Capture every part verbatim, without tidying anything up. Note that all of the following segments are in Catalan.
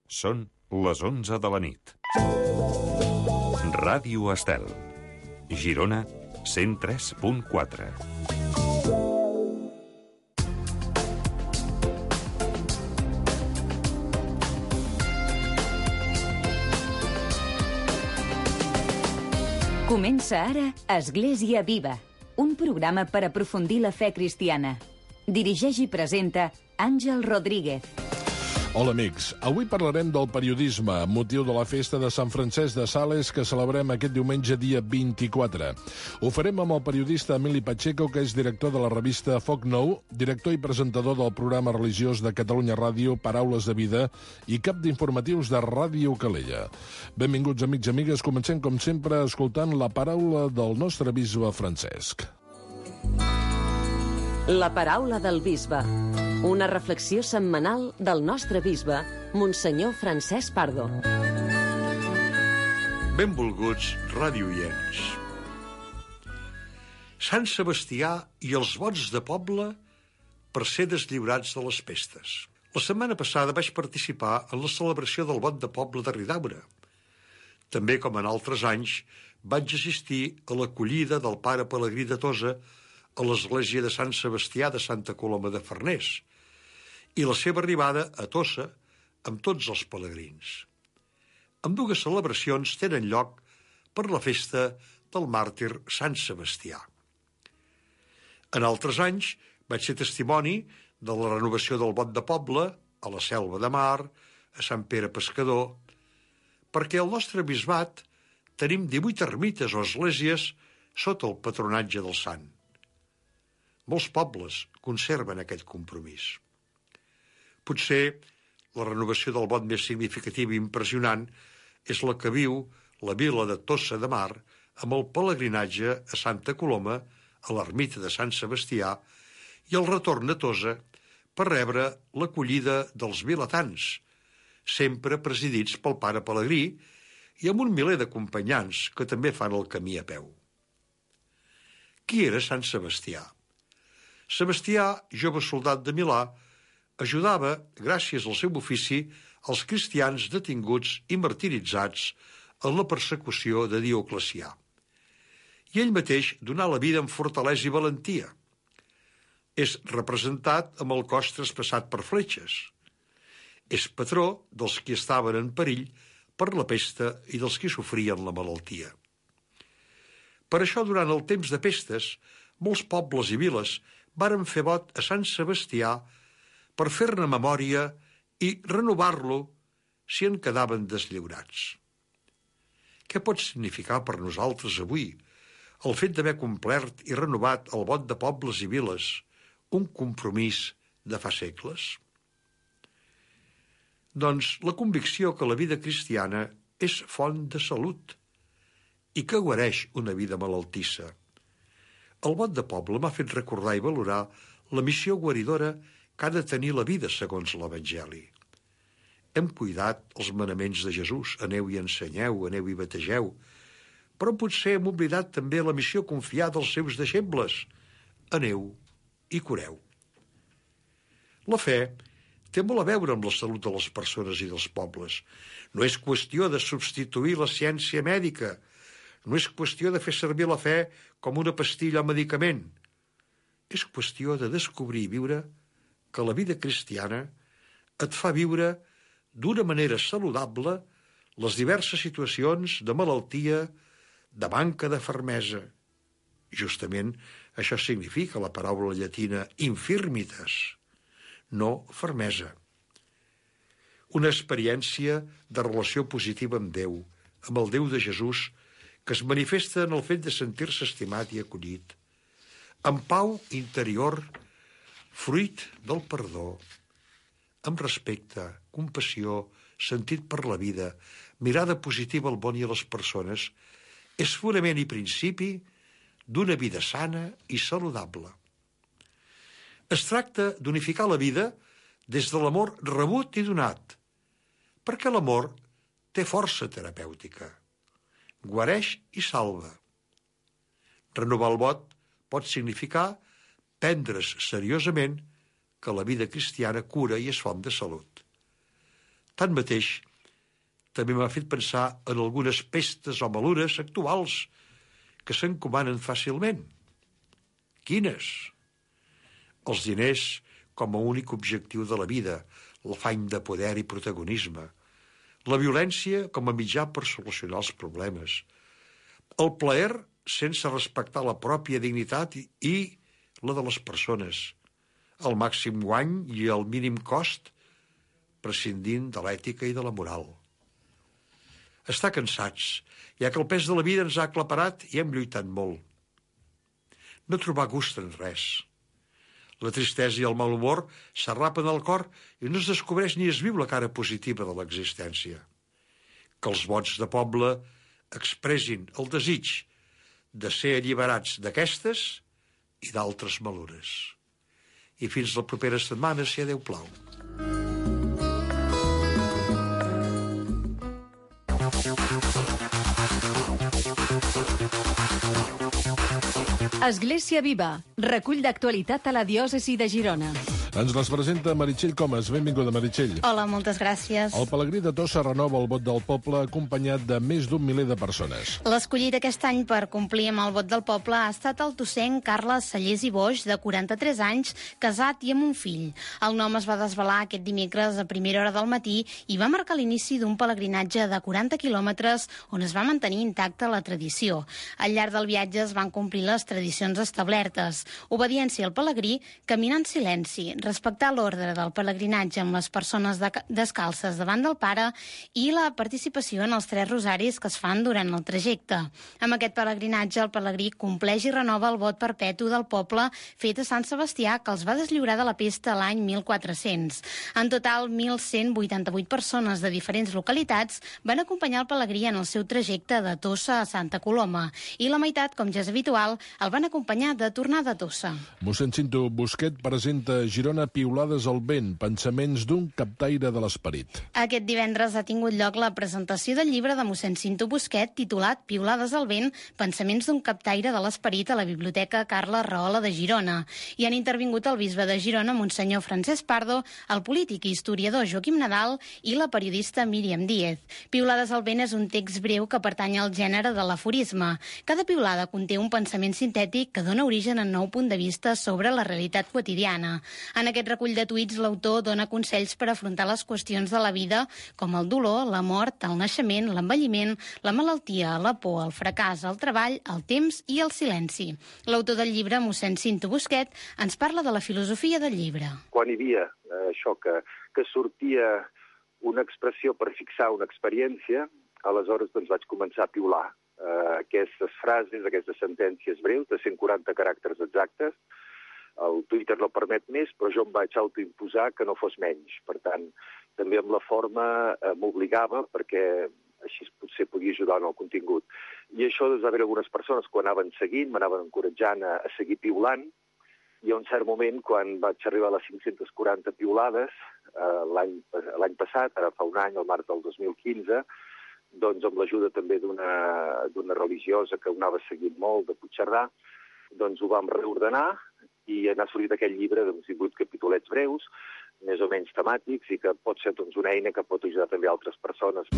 Són les onze de la nit. Ràdio Estel. Girona, cent tres punt quatre. Comença ara Església Viva, un programa per aprofundir la fe cristiana. Dirigeix i presenta Àngel Rodríguez. Hola, amics. Avui parlarem del periodisme amb motiu de la festa de Sant Francesc de Sales que celebrem aquest diumenge dia vint-i-quatre. Ho farem amb el periodista Emili Pacheco, que és director de la revista Foc Nou, director i presentador del programa religiós de Catalunya Ràdio, Paraules de Vida, i cap d'informatius de Ràdio Calella. Benvinguts, amics i amigues. Comencem, com sempre, escoltant la paraula del nostre bisbe Francesc. La paraula del bisbe. Una reflexió setmanal del nostre bisbe, Monsenyor Francesc Pardo. Benvolguts radioients. Sant Sebastià i els vots de poble per ser deslliurats de les pestes. La setmana passada vaig participar en la celebració del vot de poble de Ridaura. També, com en altres anys, vaig assistir a l'acollida del pare Pelegrí de Tossa a l'església de Sant Sebastià de Santa Coloma de Farners i la seva arribada a Tossa amb tots els pelegrins. Ambdues celebracions tenen lloc per la festa del màrtir Sant Sebastià. En altres anys vaig ser testimoni de la renovació del vot de poble a la Selva de Mar, a Sant Pere Pescador, perquè al nostre bisbat tenim divuit ermites o esglésies sota el patronatge del sant. Molts pobles conserven aquest compromís. Potser la renovació del vot més significativa i impressionant és la que viu la vila de Tossa de Mar amb el pelegrinatge a Santa Coloma, a l'ermita de Sant Sebastià, i el retorn a Tossa per rebre l'acollida dels vilatans, sempre presidits pel pare Pelegrí i amb un miler d'acompanyants que també fan el camí a peu. Qui era Sant Sebastià? Sebastià, jove soldat de Milà, ajudava, gràcies al seu ofici, els cristians detinguts i martiritzats en la persecució de Dioclecià. I ell mateix donà la vida amb fortalesa i valentia. És representat amb el cos traspassat per fletxes. És patró dels qui estaven en perill per la pesta i dels qui sofrien la malaltia. Per això, durant el temps de pestes, molts pobles i viles varen fer vot a Sant Sebastià per fer-ne memòria i renovar-lo si en quedaven deslliurats. Què pot significar per nosaltres avui el fet d'haver complert i renovat el vot de pobles i viles, un compromís de fa segles? Doncs la convicció que la vida cristiana és font de salut i que guareix una vida malaltissa. El vot de poble m'ha fet recordar i valorar la missió guaridora que ha de tenir la vida segons l'Evangeli. Hem cuidat els manaments de Jesús, aneu i ensenyeu, aneu i bategeu, però potser hem oblidat també la missió confiada als seus deixebles, aneu i cureu. La fe té molt a veure amb la salut de les persones i dels pobles. No és qüestió de substituir la ciència mèdica, no és qüestió de fer servir la fe com una pastilla o medicament. És qüestió de descobrir i viure que la vida cristiana et fa viure d'una manera saludable les diverses situacions de malaltia, de manca de fermesa. Justament això significa la paraula llatina infirmitas, no fermesa. Una experiència de relació positiva amb Déu, amb el Déu de Jesús, que es manifesta en el fet de sentir-se estimat i acollit, amb pau interior, fruit del perdó, amb respecte, compassió, sentit per la vida, mirada positiva al món i a les persones, és fonament i principi d'una vida sana i saludable. Es tracta d'unificar la vida des de l'amor rebut i donat, perquè l'amor té força terapèutica, guareix i salva. Renovar el vot pot significar prendre's seriosament que la vida cristiana cura i és font de salut. Tanmateix, també m'ha fet pensar en algunes pestes o malures actuals que s'encomanen fàcilment. Quines? Els diners com a únic objectiu de la vida, l'afany de poder i protagonisme, la violència com a mitjà per solucionar els problemes, el plaer sense respectar la pròpia dignitat i, i la de les persones, el màxim guany i el mínim cost, prescindint de l'ètica i de la moral. Estar cansats, ja que el pes de la vida ens ha aclaparat i hem lluitat molt. No trobar gust en res. La tristesa i el mal humor s'arrapen al cor i no es descobreix ni es viu la cara positiva de l'existència. Que els vots de poble expressin el desig de ser alliberats d'aquestes i d'altres malures. I fins la propera setmana, si a Déu plau. Església Viva, recull d'actualitat a la diòcesi de Girona. Ens les presenta Meritxell Comas. Benvinguda, Meritxell. Hola, moltes gràcies. El pelegrí de Tossa renova el vot del poble acompanyat de més d'un miler de persones. L'escollit aquest any per complir amb el vot del poble ha estat el tossenc Carles Sallés i Boix, de quaranta-tres anys, casat i amb un fill. El nom es va desvelar aquest dimecres a primera hora del matí i va marcar l'inici d'un pelegrinatge de quaranta quilòmetres on es va mantenir intacta la tradició. Al llarg del viatge es van complir les tradicions establertes. Obediència al pelegrí, caminar en silenci, respectar l'ordre del pelegrinatge amb les persones de, descalces davant del pare i la participació en els tres rosaris que es fan durant el trajecte. Amb aquest pelegrinatge, el pelegrí compleix i renova el vot perpetu del poble fet a Sant Sebastià, que els va deslliurar de la pesta l'any mil quatre-cents. En total, mil cent vuitanta-vuit persones de diferents localitats van acompanyar el pelegrí en el seu trajecte de Tossa a Santa Coloma i la meitat, com ja és habitual, el van acompanyar de tornada a Tossa. Mossèn Cinto Busquet presenta Girona Piulades al vent, pensaments d'un captaire de l'esperit. Aquest divendres ha tingut lloc la presentació del llibre de mossèn Cinto Busquet titulat Piulades al vent, pensaments d'un captaire de l'esperit a la Biblioteca Carles Rahola de Girona. Hi han intervingut el bisbe de Girona, monsenyor Francesc Pardo, el polític i historiador Joaquim Nadal i la periodista Míriam Díez. Piulades al vent és un text breu que pertany al gènere de l'aforisme. Cada piulada conté un pensament sintètic que dona origen a un nou punt de vista sobre la realitat quotidiana. En aquest recull de tuits, l'autor dona consells per afrontar les qüestions de la vida, com el dolor, la mort, el naixement, l'envelliment, la malaltia, la por, el fracàs, el treball, el temps i el silenci. L'autor del llibre, mossèn Cinto Busquet, ens parla de la filosofia del llibre. Quan hi havia eh, això que, que sortia una expressió per fixar una experiència, aleshores doncs vaig començar a piular eh, aquestes frases, aquestes sentències breus de cent quaranta caràcters exactes. El Twitter no permet més, però jo em vaig autoimposar que no fos menys. Per tant, també amb la forma eh, m'obligava, perquè així potser podia ajudar en el contingut. I això, doncs, va haver algunes persones que ho anaven seguint, m'anaven encoratjant a, a seguir piulant, i a un cert moment, quan vaig arribar a les cinc-centes quaranta piulades, eh, l'any passat, ara fa un any, al març del dos mil quinze, doncs amb l'ajuda també d'una religiosa que ho anava seguint molt, de Puigcerdà, doncs ho vam reordenar, i n'ha sortit aquell llibre de divuit capitolets breus, més o menys temàtics, i que pot ser doncs, una eina que pot ajudar també a altres persones.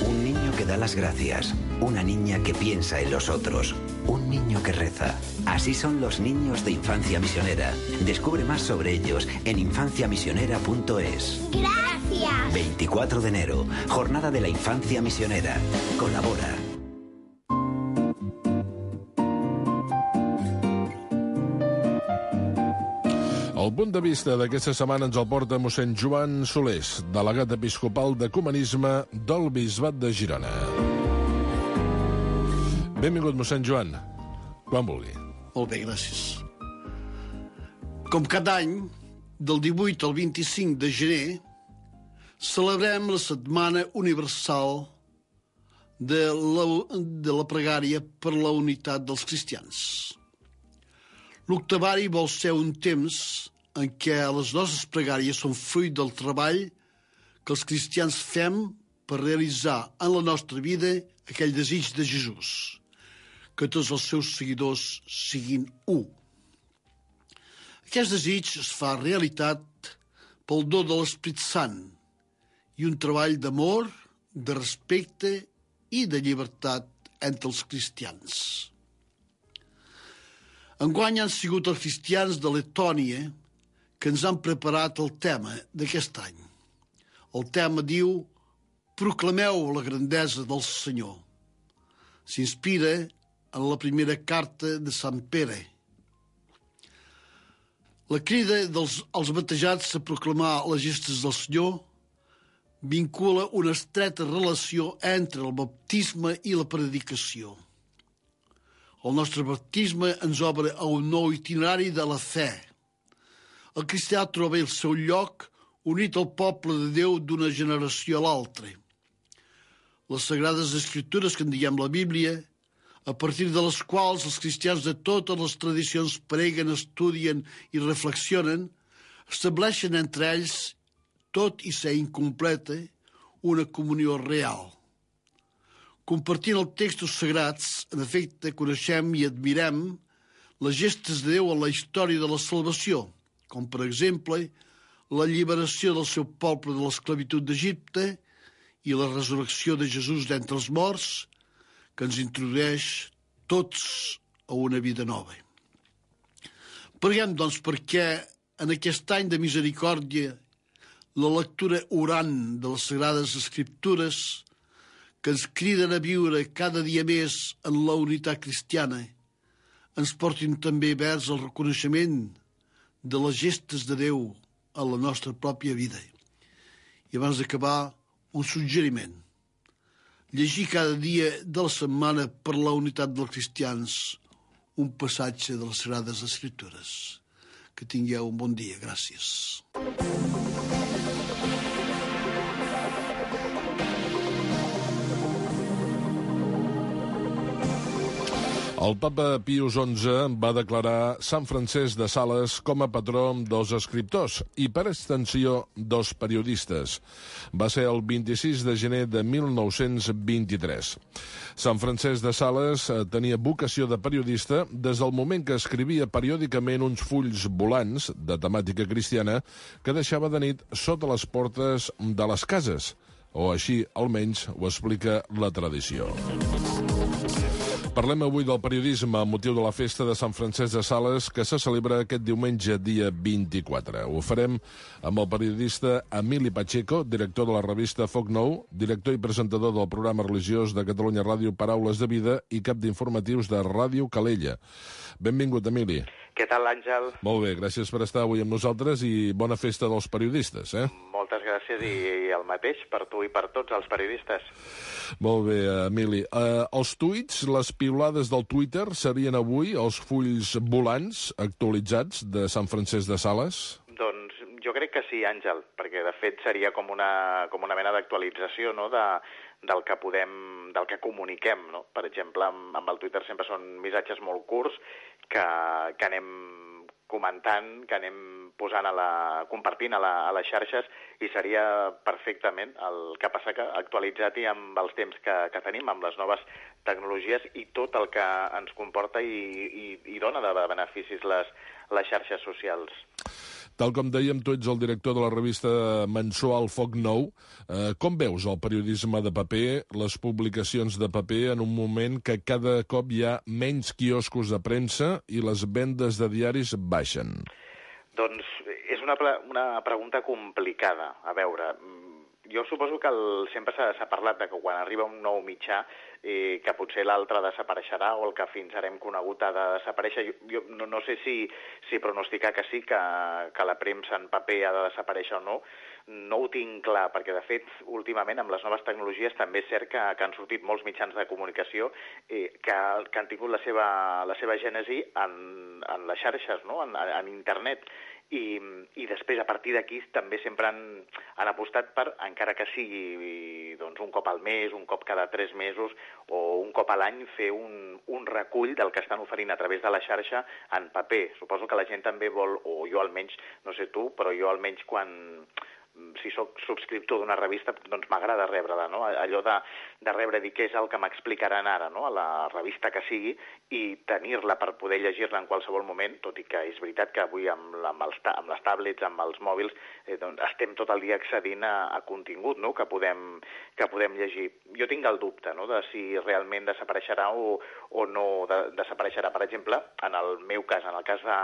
Un niño que da las gracias, una niña que piensa en los otros, un niño que reza. Así son los niños de Infancia Misionera. Descubre más sobre ellos en infancia misionera punto es. ¡Gracias! veinticuatro de enero, Jornada de la Infancia Misionera. Colabora. El punt de vista d'aquesta setmana ens el porta mossèn Joan Solés, delegat episcopal d'Ecumenisme del Bisbat de Girona. Benvingut, mossèn Joan. Quan vulgui. Molt bé, gràcies. Com cada any, del divuit al vint-i-cinc de gener, celebrem la Setmana Universal de la, de la pregària per la unitat dels cristians. L'octavari vol ser un temps en què les nostres pregàries són fruit del treball que els cristians fem per realitzar en la nostra vida aquell desig de Jesús, que tots els seus seguidors siguin u. Aquest desig es fa realitat pel do de l'Esperit Sant i un treball d'amor, de respecte i de llibertat entre els cristians. Enguany han sigut els cristians de Letònia que ens han preparat el tema d'aquest any. El tema diu «Proclameu la grandesa del Senyor». S'inspira en la primera carta de Sant Pere. La crida dels als batejats a proclamar les gestes del Senyor vincula una estreta relació entre el baptisme i la predicació. El nostre baptisme ens obre a un nou itinerari de la fe. El cristià troba el seu lloc unit al poble de Déu d'una generació a l'altra. Les sagrades escritures que en diem la Bíblia, a partir de les quals els cristians de totes les tradicions preguen, estudien i reflexionen, estableixen entre ells, tot i ser incompleta, una comunió real. Compartint els textos sagrats, en efecte, coneixem i admirem les gestes de Déu en la història de la salvació, com per exemple la alliberació del seu poble de l'esclavitud d'Egipte i la resurrecció de Jesús d'entre els morts, que ens introdueix tots a una vida nova. Preguem, doncs, perquè en aquest any de misericòrdia la lectura orant de les Sagrades Escriptures, que ens criden a viure cada dia més en la unitat cristiana, ens portin també vers el reconeixement de les gestes de Déu a la nostra pròpia vida. I abans d'acabar, un suggeriment. Llegir cada dia de la setmana per la unitat dels cristians un passatge de les Sagrades Escriptures. Que tingueu un bon dia. Gràcies. El papa Pius onze va declarar Sant Francesc de Sales com a patró dels escriptors i, per extensió, dels periodistes. Va ser el vint-i-sis de gener de mil nou-cents vint-i-tres. Sant Francesc de Sales tenia vocació de periodista des del moment que escrivia periòdicament uns fulls volants de temàtica cristiana que deixava de nit sota les portes de les cases, o així almenys ho explica la tradició. Parlem avui del periodisme amb motiu de la festa de Sant Francesc de Sales que se celebra aquest diumenge, dia vint-i-quatre. Ho farem amb el periodista Emili Pacheco, director de la revista Foc Nou, director i presentador del programa religiós de Catalunya Ràdio Paraules de Vida i cap d'informatius de Ràdio Calella. Benvingut, Emili. Què tal, Àngel? Molt bé, gràcies per estar avui amb nosaltres i bona festa dels periodistes, eh? Moltes gràcies i el mateix per tu i per tots els periodistes. Molt bé, Emili. Uh, els tuits, les piulades del Twitter, serien avui els fulls volants actualitzats de Sant Francesc de Sales? Doncs jo crec que sí, Àngel, perquè de fet seria com una, com una mena d'actualització, no?, de, del que podem, del que comuniquem, no? Per exemple, amb, amb el Twitter sempre són missatges molt curts que, que anem comentant, que anem posant a la, compartint a, la, a les xarxes i seria perfectament el que passa que actualitzat i amb els temps que, que tenim, amb les noves tecnologies i tot el que ens comporta i, i, i dona de beneficis les, les xarxes socials. Tal com dèiem, tu ets el director de la revista mensual Foc Nou. Eh, com veus el periodisme de paper, les publicacions de paper, en un moment que cada cop hi ha menys quioscos de premsa i les vendes de diaris baixen? Doncs és una, una pregunta complicada. A veure, jo suposo que el, sempre s'ha parlat de que quan arriba un nou mitjà eh, que potser l'altre desapareixerà o el que fins ara hem conegut ha de desaparèixer. Jo, jo no, no sé si, si pronosticar que sí, que, que la premsa en paper ha de desaparèixer o no. No ho tinc clar, perquè de fet, últimament, amb les noves tecnologies, també és cert que, que han sortit molts mitjans de comunicació eh, que, que han tingut la seva, la seva gènesi en, en les xarxes, no?, en, en internet. I, i després, a partir d'aquí, també sempre han, han apostat per, encara que sigui doncs, un cop al mes, un cop cada tres mesos o un cop a l'any, fer un, un recull del que estan oferint a través de la xarxa en paper. Suposo que la gent també vol, o jo almenys, no sé tu, però jo almenys quan si sóc subscriptor d'una revista, doncs m'agrada rebre-la, no? Allò de, de rebre dir què és el que m'explicaran ara, no? A la revista que sigui, i tenir-la per poder llegir-la en qualsevol moment, tot i que és veritat que avui amb, amb, els, amb les tablets, amb els mòbils, eh, doncs estem tot el dia accedint a, a contingut, no? que, podem, que podem llegir. Jo tinc el dubte, no? De si realment desapareixerà o, o no de, desapareixerà. Per exemple, en el meu cas, en el cas de,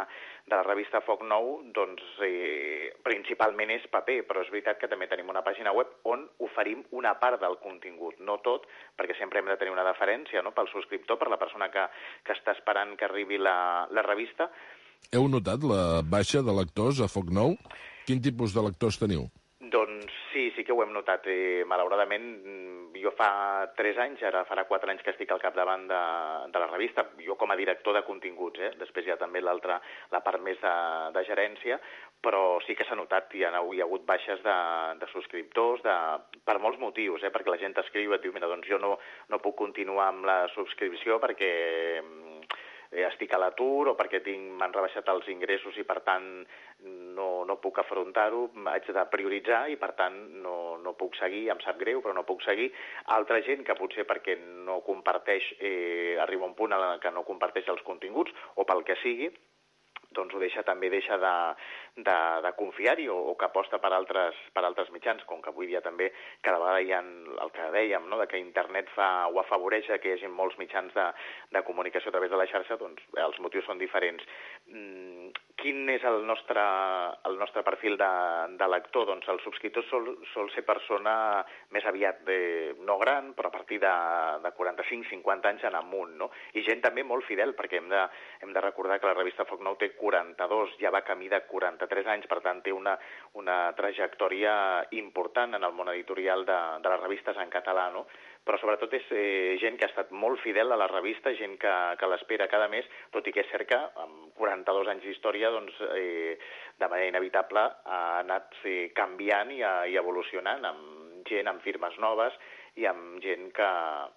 de la revista Foc Nou, doncs eh, principalment és paper, però és veritat que també tenim una pàgina web on oferim una part del contingut, no tot, perquè sempre hem de tenir una deferència, no? Pel subscriptor, per la persona que, que està esperant que arribi la, la revista. Heu notat la baixa de lectors a Foc Nou? Quin tipus de lectors teniu? Doncs sí, sí que ho hem notat. Eh, malauradament, jo fa tres anys, ara farà quatre anys que estic al capdavant de, de la revista, jo com a director de continguts, eh? Després hi ha també l'altra, la part més de, de gerència, però sí que s'ha notat, hi ha, hi ha hagut baixes de, de subscriptors, de, per molts motius, eh? Perquè la gent t'escriu i et diu, mira, doncs jo no, no puc continuar amb la subscripció perquè estic a l'atur o perquè m'han rebaixat els ingressos i per tant no, no puc afrontar-ho, haig de prioritzar i per tant no, no puc seguir, em sap greu però no puc seguir. Altra gent que potser perquè no comparteix, eh, arriba un punt en què no comparteix els continguts o pel que sigui, doncs ho deixa, també deixa de, de, de confiar-hi o, o que aposta per altres, per altres mitjans, com que avui dia també cada vegada hi ha el que dèiem, no? De que internet fa o afavoreix que hi hagi molts mitjans de, de comunicació a través de la xarxa, doncs els motius són diferents. Mm, quin és el nostre, el nostre perfil de, de lector? Doncs el subscriptor sol, sol ser persona més aviat de, no gran, però a partir de, de quaranta-cinc cinquanta anys en amunt, no? I gent també molt fidel, perquè hem de, hem de recordar que la revista Foc Nou té quaranta-dos, ja va camí de quaranta-tres anys, per tant té una, una trajectòria important en el món editorial de, de les revistes en català, no? Però sobretot és eh, gent que ha estat molt fidel a la revista, gent que, que l'espera cada mes, tot i que és cert que amb quaranta-dos anys d'història, doncs, eh, de manera inevitable ha anat eh, canviant i, i evolucionant, amb gent, amb firmes noves, i amb gent que,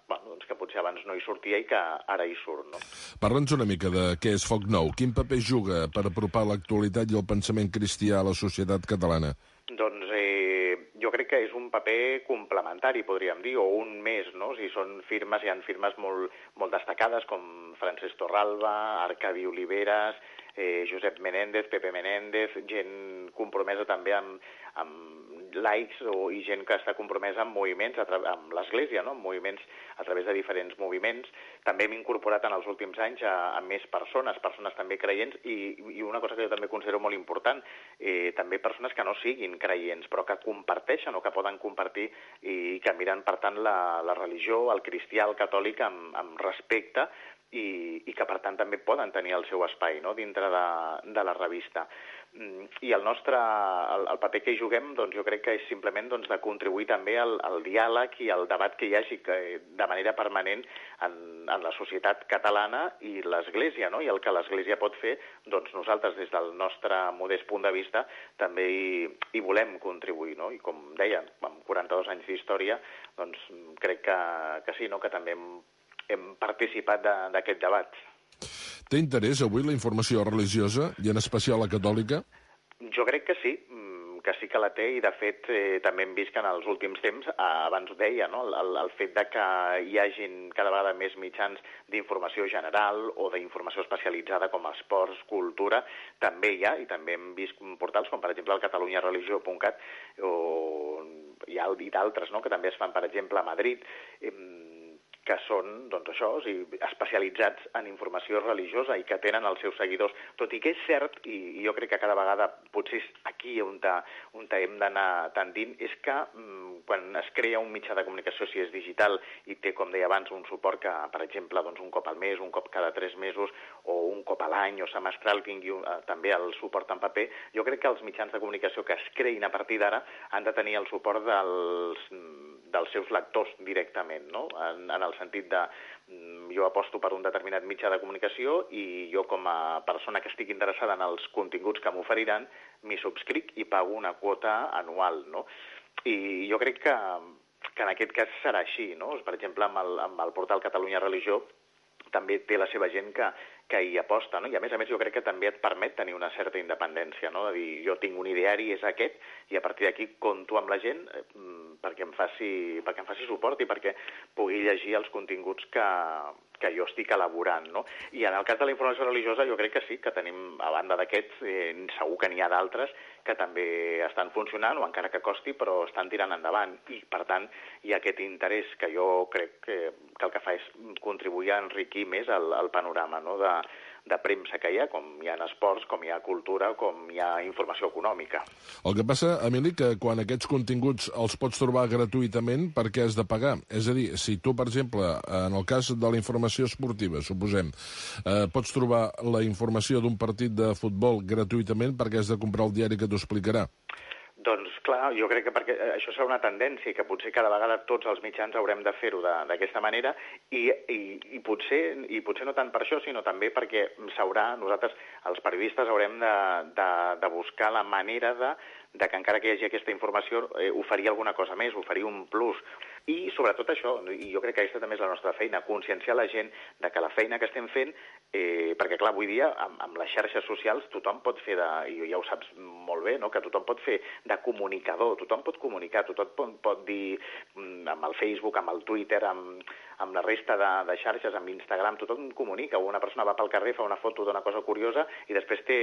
bueno, doncs que potser abans no hi sortia i que ara hi surt, no? Parla'ns una mica de què és Foc Nou. Quin paper juga per apropar l'actualitat i el pensament cristià a la societat catalana? Doncs eh, jo crec que és un paper complementari, podríem dir, o un més, no? Si són firmes, hi ha firmes molt, molt destacades, com Francesc Torralba, Arcadi Oliveres, eh, Josep Menéndez, Pepe Menéndez, gent compromesa també amb, amb laics o, i gent que està compromesa amb moviments, a tra amb l'Església, no? Amb moviments a través de diferents moviments. També hem incorporat en els últims anys a, a més persones, persones també creients, i, i una cosa que jo també considero molt important, eh, també persones que no siguin creients, però que comparteixen o que poden compartir i que miren, per tant, la, la religió, el cristià, el catòlic, amb, amb respecte, i, i que per tant també poden tenir el seu espai, no? Dintre de, de la revista. I el nostre, el, el paper que hi juguem, doncs jo crec que és simplement doncs, de contribuir també al, al diàleg i al debat que hi hagi que, de manera permanent en, en la societat catalana i l'Església, no? I el que l'Església pot fer, doncs nosaltres des del nostre modest punt de vista també hi, hi volem contribuir, no? I com deia, amb quaranta-dos anys d'història, doncs crec que, que sí, no? Que també hem hem participat d'aquest debat. Té interès avui la informació religiosa, i en especial la catòlica? Jo crec que sí, que sí que la té, i de fet eh, també hem vist que en els últims temps, eh, abans ho deia, no? el, el fet de que hi hagin cada vegada més mitjans d'informació general o d'informació especialitzada com esports, cultura, també hi ha, i també hem vist portals com per exemple el catalunya religió punt cat o hi ha i d'altres, no? Que també es fan per exemple a Madrid, eh, que són, doncs això, o sigui, especialitzats en informació religiosa i que tenen els seus seguidors. Tot i que és cert, i, i jo crec que cada vegada, potser és aquí on, ta, on ta hem d'anar tendint, és que mm, quan es crea un mitjà de comunicació, si és digital, i té, com deia abans, un suport que, per exemple, doncs un cop al mes, un cop cada tres mesos, o un cop a l'any, o semestral, tingui un, eh, també el suport en paper, jo crec que els mitjans de comunicació que es creïn a partir d'ara han de tenir el suport dels... dels seus lectors directament, no? En, en el sentit de jo aposto per un determinat mitjà de comunicació i jo com a persona que estic interessada en els continguts que m'oferiran m'hi subscric i pago una quota anual, no? I jo crec que, que en aquest cas serà així, no? Per exemple, amb el, amb el portal Catalunya Religió també té la seva gent que, que hi aposta, no? I a més a més jo crec que també et permet tenir una certa independència, no? De dir, jo tinc un ideari, és aquest, i a partir d'aquí compto amb la gent eh, perquè em faci, perquè em faci suport i perquè pugui llegir els continguts que, que jo estic elaborant, no? I en el cas de la informació religiosa jo crec que sí, que tenim, a banda d'aquests, eh, segur que n'hi ha d'altres que també estan funcionant, o encara que costi, però estan tirant endavant. I, per tant, hi ha aquest interès que jo crec que, que el que fa és contribuir a enriquir més el, el panorama, no?, de, de premsa que hi ha, com hi ha esports, com hi ha cultura, com hi ha informació econòmica. El que passa, Emili, que quan aquests continguts els pots trobar gratuïtament, per què has de pagar? És a dir, si tu, per exemple, en el cas de la informació esportiva, suposem, eh, pots trobar la informació d'un partit de futbol gratuïtament, perquè has de comprar el diari que t'ho explicarà? Doncs clar, jo crec que perquè això serà una tendència, que potser cada vegada tots els mitjans haurem de fer-ho d'aquesta manera, i, i, i, potser, i potser no tant per això, sinó també perquè s'haurà, nosaltres, els periodistes, haurem de, de, de buscar la manera de, de que encara que hi hagi aquesta informació, eh, oferir alguna cosa més, oferir un plus. I sobretot això, i jo crec que aquesta també és la nostra feina, conscienciar la gent de que la feina que estem fent, eh, perquè clar, avui dia amb, amb les xarxes socials tothom pot fer, de, i ja ho saps molt bé, no?, que tothom pot fer de comunicador, tothom pot comunicar, tothom pot, pot dir amb el Facebook, amb el Twitter, amb, amb la resta de, de xarxes, amb Instagram, tothom comunica. Una persona va pel carrer, fa una foto d'una cosa curiosa i després té,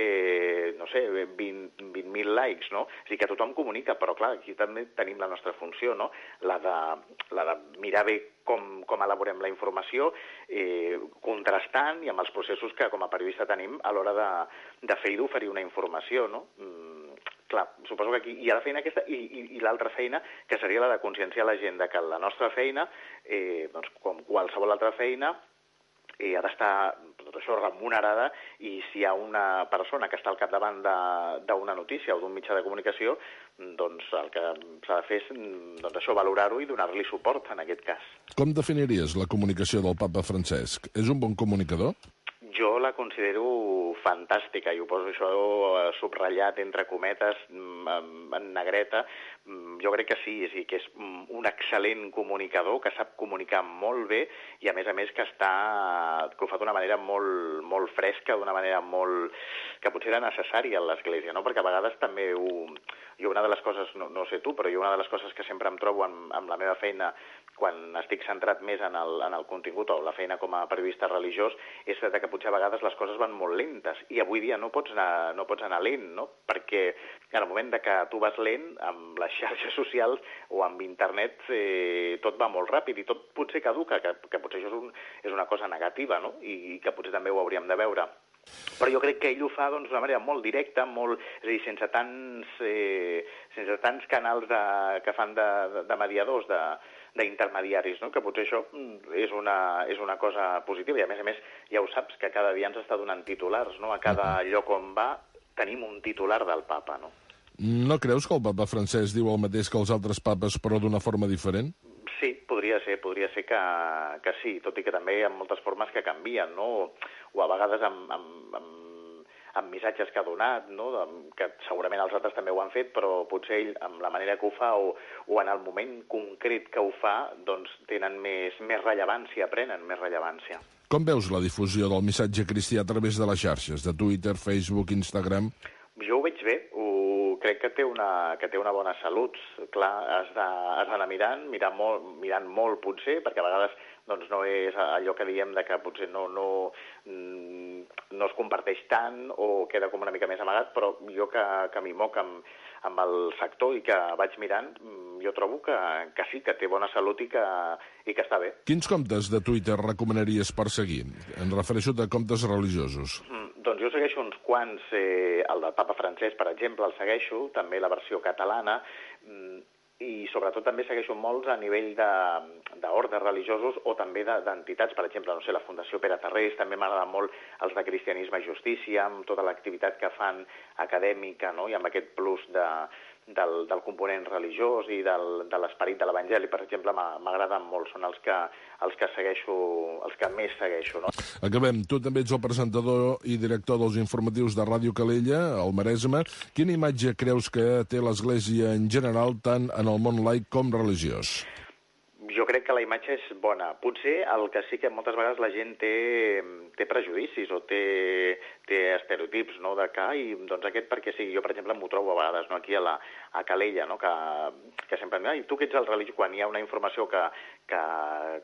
no sé, vint mil likes, no? És a dir, que tothom comunica, però clar, aquí també tenim la nostra funció, no?, la de, la de mirar bé com, com elaborem la informació, eh, contrastant i amb els processos que com a periodista tenim a l'hora de, de fer i d'oferir una informació, no? Mm, clar, suposo que aquí hi ha la feina aquesta i, i, i l'altra feina, que seria la de conscienciar la gent de que la nostra feina, eh, doncs, com qualsevol altra feina, eh, ha d'estar tot això remunerada, i si hi ha una persona que està al capdavant d'una notícia o d'un mitjà de comunicació, doncs el que s'ha de fer és doncs això, valorar-ho i donar-li suport en aquest cas. Com definiries la comunicació del papa Francesc? És un bon comunicador? Jo la considero fantàstica, i ho poso això subratllat entre cometes, en negreta. Jo crec que sí, és a dir, que és un excel·lent comunicador, que sap comunicar molt bé, i a més a més que està, que ho fa d'una manera molt, molt fresca, d'una manera molt, que potser era necessària a l'Església, no? Perquè a vegades també ho, jo una de les coses, no, no sé tu, però jo una de les coses que sempre em trobo amb, amb la meva feina, quan estic centrat més en el, en el contingut o la feina com a periodista religiós, és que potser a vegades les coses van molt lentes, i avui dia no pots anar, no pots anar lent, no? Perquè en el moment de que tu vas lent, amb les xarxes socials o amb internet, eh, tot va molt ràpid i tot potser caduca, que, que potser això és, un, és una cosa negativa, no? I que potser també ho hauríem de veure. Però jo crec que ell ho fa doncs, d'una manera molt directa, molt, és a dir, sense tants, eh, sense tants canals de, que fan de, de mediadors, de, d'intermediaris, no? Que potser això és una, és una cosa positiva, i a més a més ja ho saps, que cada dia ens està donant titulars, no? A cada lloc on va tenim un titular del papa, no? No creus que el papa Francesc diu el mateix que els altres papes, però d'una forma diferent? Sí, podria ser, podria ser que, que sí, tot i que també hi ha moltes formes que canvien, no? O a vegades amb, amb, amb, amb missatges que ha donat, no? Que segurament els altres també ho han fet, però potser ell, amb la manera que ho fa o, o en el moment concret que ho fa, doncs tenen més, més rellevància, prenen més rellevància. Com veus la difusió del missatge cristià a través de les xarxes, de Twitter, Facebook, Instagram? Jo ho veig bé, ho, crec que té una, que té una bona salut. Clar, has d'anar mirant, mirant molt, mirant molt potser, perquè a vegades doncs, no és allò que diem de que potser no, no, no es comparteix tant o queda com una mica més amagat, però jo que, que m'hi moc amb, amb el sector i que vaig mirant, jo trobo que, que sí, que té bona salut i que, i que està bé. Quins comptes de Twitter recomanaries per seguir? Em refereixo a comptes religiosos. Mm, doncs jo segueixo uns quants, eh, el del papa Francesc, per exemple, el segueixo, també la versió catalana, mm, i sobretot també segueixo molts a nivell d'ordres religiosos o també d'entitats, per exemple, no sé, la Fundació Pere Tarrés, també m'agrada molt els de Cristianisme i Justícia, amb tota l'activitat que fan acadèmica, no? I amb aquest plus de, del, del component religiós i del, de l'esperit de l'Evangeli, per exemple, m'agraden molt, són els que, els que segueixo, els que més segueixo, no? Acabem. Tu també ets el presentador i director dels informatius de Ràdio Calella, al Maresme. Quina imatge creus que té l'Església en general, tant en el món laic com religiós? jo crec que la imatge és bona. Potser el que sí que moltes vegades la gent té, té prejudicis o té, té estereotips, no?, de que, ai, doncs aquest perquè sí, jo per exemple m'ho trobo a vegades, no?, aquí a, la, a Calella, no?, que, que sempre em diuen, ai, tu que ets el religiós, quan hi ha una informació que, que,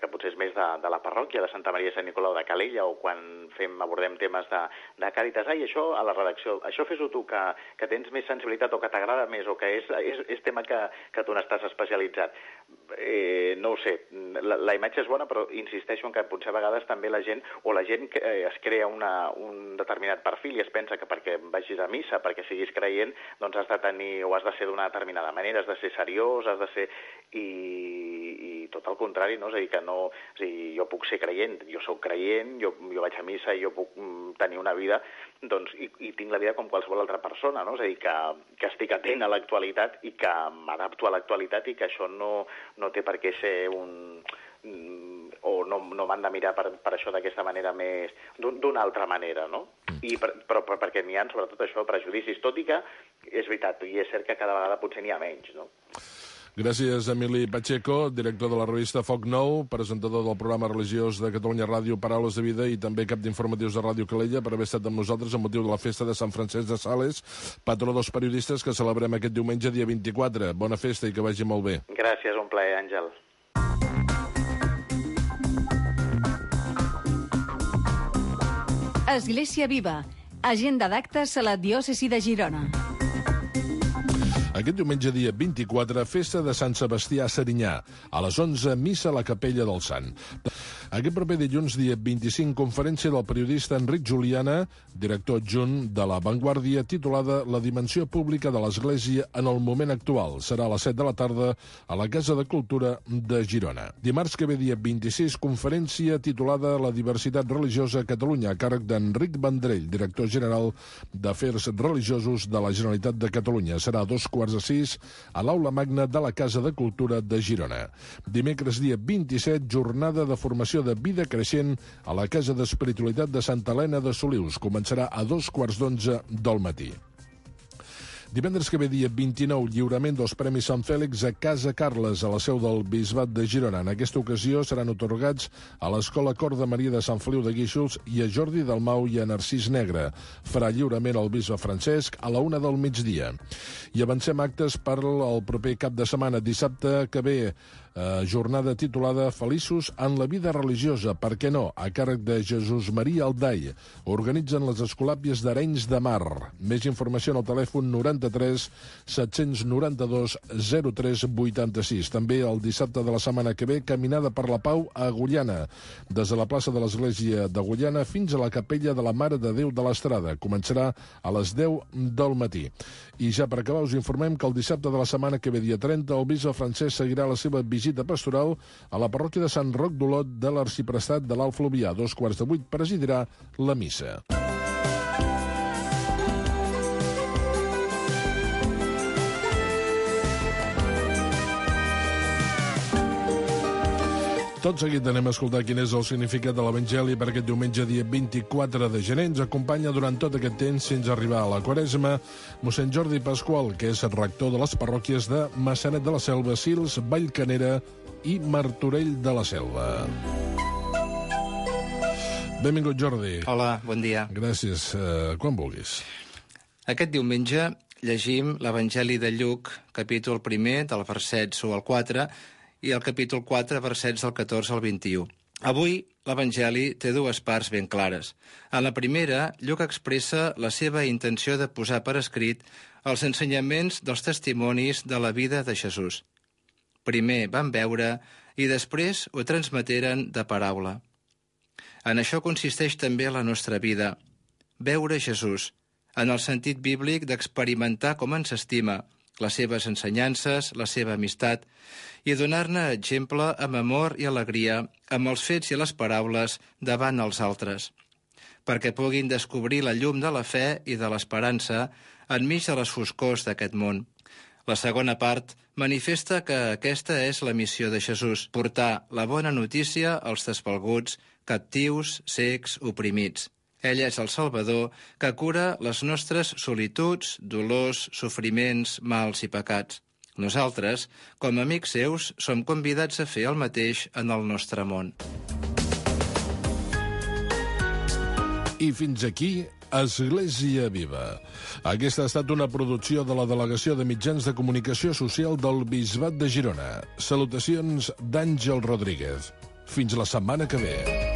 que potser és més de, de la parròquia de Santa Maria de Sant Nicolau de Calella, o quan fem, abordem temes de, de Càritas, ai, això a la redacció, això fes-ho tu, que, que tens més sensibilitat o que t'agrada més, o que és, és, és tema que, que tu n'estàs especialitzat. Eh, no ho sé, la, la imatge és bona, però insisteixo en que potser a vegades també la gent, o la gent que eh, es crea una, un determinat perfil i es pensa que perquè vagis a missa, perquè siguis creient, doncs has de tenir, o has de ser d'una determinada manera, has de ser seriós, has de ser... I, i tot el contrari, no? És a dir, que no... És a dir, jo puc ser creient, jo sóc creient, jo, jo vaig a missa i jo puc tenir una vida, doncs, i, i tinc la vida com qualsevol altra persona, no? És a dir, que, que estic atent a l'actualitat i que m'adapto a l'actualitat i que això no, no té per què ser un... o no, no m'han de mirar per, per això d'aquesta manera més... d'una altra manera, no? I per, però, però perquè n'hi ha, sobretot això, prejudicis, tot i que és veritat, i és cert que cada vegada potser n'hi ha menys, no? Gràcies, Emili Pacheco, director de la revista Foc Nou, presentador del programa religiós de Catalunya Ràdio, Paraules de Vida, i també cap d'informatius de Ràdio Calella, per haver estat amb nosaltres amb motiu de la festa de Sant Francesc de Sales, patró dels periodistes, que celebrem aquest diumenge, dia vint-i-quatre. Bona festa i que vagi molt bé. Gràcies, un plaer, Àngel. Església Viva. Agenda d'actes a la diòcesi de Girona. Aquest diumenge, dia vint-i-quatre, festa de Sant Sebastià a Serinyà. A les onze, missa a la Capella del Sant. Aquest proper dilluns, dia vint-i-cinc, conferència del periodista Enric Juliana, director adjunt de La Vanguardia, titulada La dimensió pública de l'Església en el moment actual. Serà a les set de la tarda a la Casa de Cultura de Girona. Dimarts que ve, dia vint-i-sis, conferència titulada La diversitat religiosa a Catalunya, a càrrec d'Enric Vendrell, director general d'Afers Religiosos de la Generalitat de Catalunya. Serà a dos quarts de sis a l'Aula Magna de la Casa de Cultura de Girona. Dimecres, dia vint-i-set, jornada de formació de vida creixent a la Casa d'Espiritualitat de Santa Helena de Solius. Començarà a dos quarts d'onze del matí. Divendres que ve, dia vint-i-nou, lliurament dels Premis Sant Fèlix a Casa Carles, a la seu del Bisbat de Girona. En aquesta ocasió seran atorgats a l'Escola Cor de Maria de Sant Feliu de Guíxols i a Jordi Dalmau i a Narcís Negre. Farà lliurament el bisbe Francesc a la una del migdia. I avancem actes per al proper cap de setmana, dissabte que ve, eh, jornada titulada Feliços en la vida religiosa, per què no?, a càrrec de Jesús Maria Aldai. Organitzen les Escolàpies d'Arenys de Mar. Més informació en el telèfon noranta-tres set-cents noranta-dos zero tres vuitanta-sis. També el dissabte de la setmana que ve, caminada per la Pau a Agullana, des de la plaça de l'Església d'Agullana fins a la capella de la Mare de Déu de l'Estrada. Començarà a les deu del matí. I ja per acabar us informem que el dissabte de la setmana que ve, dia trenta, el bisbe Francesc seguirà la seva visita pastoral a la parròquia de Sant Roc d'Olot de l'Arxiprestat de l'Alt Fluvià. A dos quarts de vuit presidirà la missa. Tot seguit anem a escoltar quin és el significat de l'Evangeli per aquest diumenge, dia vint-i-quatre de gener. Ens acompanya durant tot aquest temps fins a arribar a la Quaresma mossèn Jordi Pasqual, que és rector de les parròquies de Maçanet de la Selva, Sils, Vallcanera i Martorell de la Selva. Benvingut, Jordi. Hola, bon dia. Gràcies. Uh, quan vulguis. Aquest diumenge llegim l'Evangeli de Lluc, capítol primer, del versets u al quatre, i el capítol quatre, versets del catorze al vint-i-u. Avui, l'Evangeli té dues parts ben clares. En la primera, Lluc expressa la seva intenció de posar per escrit els ensenyaments dels testimonis de la vida de Jesús. Primer van veure i després ho transmeteren de paraula. En això consisteix també la nostra vida. Veure Jesús, en el sentit bíblic d'experimentar com ens estima, les seves ensenyances, la seva amistat, i donar-ne exemple amb amor i alegria, amb els fets i les paraules davant els altres, perquè puguin descobrir la llum de la fe i de l'esperança enmig de les foscors d'aquest món. La segona part manifesta que aquesta és la missió de Jesús, portar la bona notícia als desvalguts, captius, cecs, oprimits. Ell és el Salvador que cura les nostres solituds, dolors, sofriments, mals i pecats. Nosaltres, com a amics seus, som convidats a fer el mateix en el nostre món. I fins aquí, Església Viva. Aquesta ha estat una producció de la Delegació de Mitjans de Comunicació Social del Bisbat de Girona. Salutacions d'Àngel Rodríguez. Fins la setmana que ve.